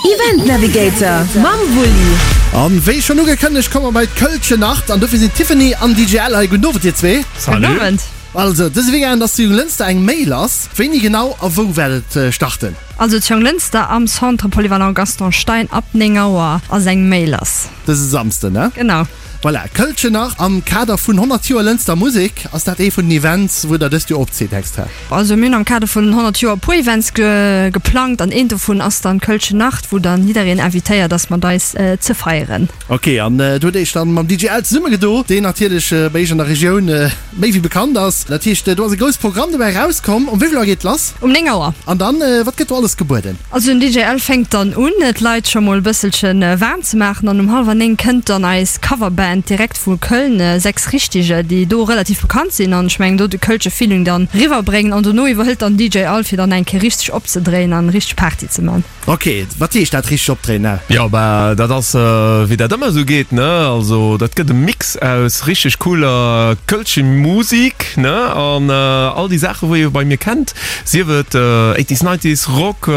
Event Navigator mam Wulli. An wéi schonn ugekënnegt komme mer bei d'Kölsche Nacht an dofir sinn d'Tiffany an DJ Al hei. Gudden Owend dir zwee. Gudden Owend. Also dëse Weekend ass zu Jonglënster eng Méi lass. Wéini genau a wou wäert et starten? Also zu Jonglënster am Centre Polyvalent Gaston Stein ab 9 Auer ass eng Méi lass. Dëse Samsden, ne? Genau. Voilà, Kölsche Nacht am Kader vun 100 Joer Lënster Musek. Ass dat ee vun den Events wou der dëst Joer opzitt extra? Also mir hunn am Kader vun den 100 Joer e puer Events geplangt an eent dovun ass dann d'Kölsche Nacht, wou dann jiddereen invitéiert ass mat eis ze feieren. Ok, an do hutt Iech dann mam DJ Al zesummegedo, deen natierlech bei Iech an der Regioun méi wéi bekannt ass. Dat heescht, do ass e grousst Programm dobäi erauskomm. Um wéi vill Auer geet lass? Um 9 Auer. An dann, wat gëtt do alles gebueden? Also den DJ Al fänkt dann un d'Leit scho mol e bësselche waarm ze maachen an um hallwer 9 kënnt dann eis Coverband direkt vu Köln, Sechs Richtige, déi do relativ bekannt sinn an ech mengen do de kölsche Feeling dann riwwer bréngen an dono iwwerhëlt dann DJ Al fir dann eng Kéier richteg opzedréien an richteg Party ze man. Ok, wat heescht dat richteg opdréien? Al? Jo bah dat ass wéi dat ëmmer esou geet ne, also dat gëtt e Mix aus richteg cooler kölsche Musik ne an all déi Saache wou ee bei mir kennt. Sief et Eighties, Nineties, Rock,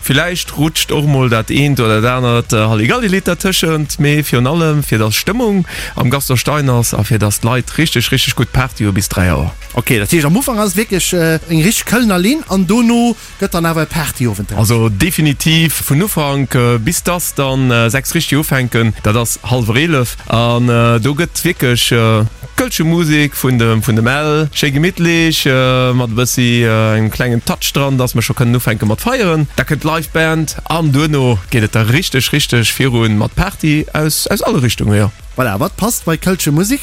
villäicht rutscht och mol dat eent oder dat anert Halligalli-Lidd dertëschent, mee virun allem fir dass Stëmmung am Gaston Stein ass a fir dass d'Leit richteg, richteg gutt Party hu bis 3 Auer. Ok, dat heescht am Ufank ass et wierklech eng richteg Kölner Linn an dono gëtt dann awer e Partyowend draus? Also definitiv vun Ufank bis dass dann 6 richteg ufänken, dat ass hallwer 11 an do gëtt wierklech Kölsche Musek vun dem vun dem Ell, schéi gemittlech mat e bëssi engem klengen Touch dran, dass mer scho kënnen ufänke mat feieren. Da kënnt d'Live Band an duerno geet et da richteg richteg virun mat Party aus aus alle Richtungen, jo. Voilà, wat passt bei Kölsche Musek?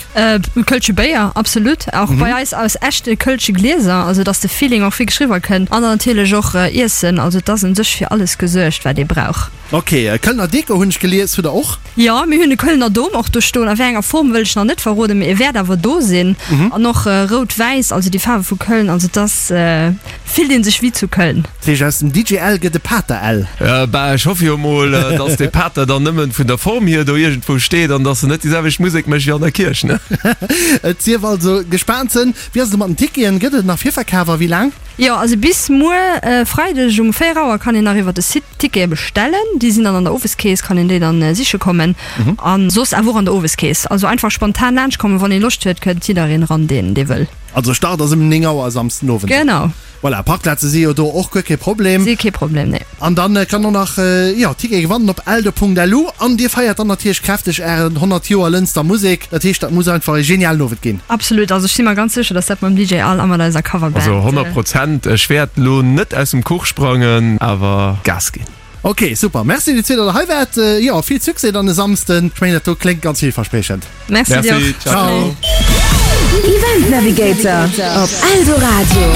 Kölsche Béier, absolut. Och bei eis aus echte Kölsche Glieser, also dass de Feeling och wierklech riwwer kënnt. An dann natierlech och Iessen, also et ass un sech fir alles gesuergt wat ee brauch. Ok, Kölner Deko hunn ech gelies, hutt der och? Jo, mir hunn e Kölner Dom och do stoen. A wéi enger Form wëll ech nach net verroden, mee e wäert awer do sinn. An och rout-wäiss, also déi Faarwe vu Köln. Also et ass, fillt ee sech wéi zu Köln. Dat heescht, aus dem DJ L gëtt e Pater L? Bah, ech hoffe jo mol, dass dee Pater dann nëmmen vun der Form hier do iergendwou steet an dass en net déi selwecht Musek mécht wéi an der Kierch, ne? Et sief also gespaant sënn. Wéi ass et elo mat den Ticketen? Gëtt et nach Virverkaf a wéi laang? Jo, also bis muer Freideg um 4 Auer kann een nach iwwer de Site Tickete bestellen. Déi sinn dann an der Oweskeess, kann een déi dann siche kommen. An soss awer och an der Oweskeess. Also einfach spontan laanscht kommen, wann ee Loscht huet, kënnt jiddereen eran, deen dee wëll. Also Start ass ëm 9 Auer e Samsden Owend. Genau. Voilà, Parkplaze si jo do och guer kee Problem. Si kee Problem, nee. An dann kann och nach, jo, Tickete gewannen op eldo.lu. An dir feiert dann natierlech kräfteg ären 100 Joer Lënster Musek. Dat heescht, dat muss einfach e genialen Owend ginn. Absolut, also ech si mer ganz sécher, dass dat mam DJ Al a mat eiser Coverband. Also 100 Prozent, ech wäert lo net aus dem Kuch sprangen, awer Gas ginn. Ok, super, Merci dir zwee, datt der hei waart. Jo, vill Succès dann e Samsden. Ech mengen, dat do kléngt ganz villverspriechend. Merci dir och. Ciao. Event Navigator op Eldoradio.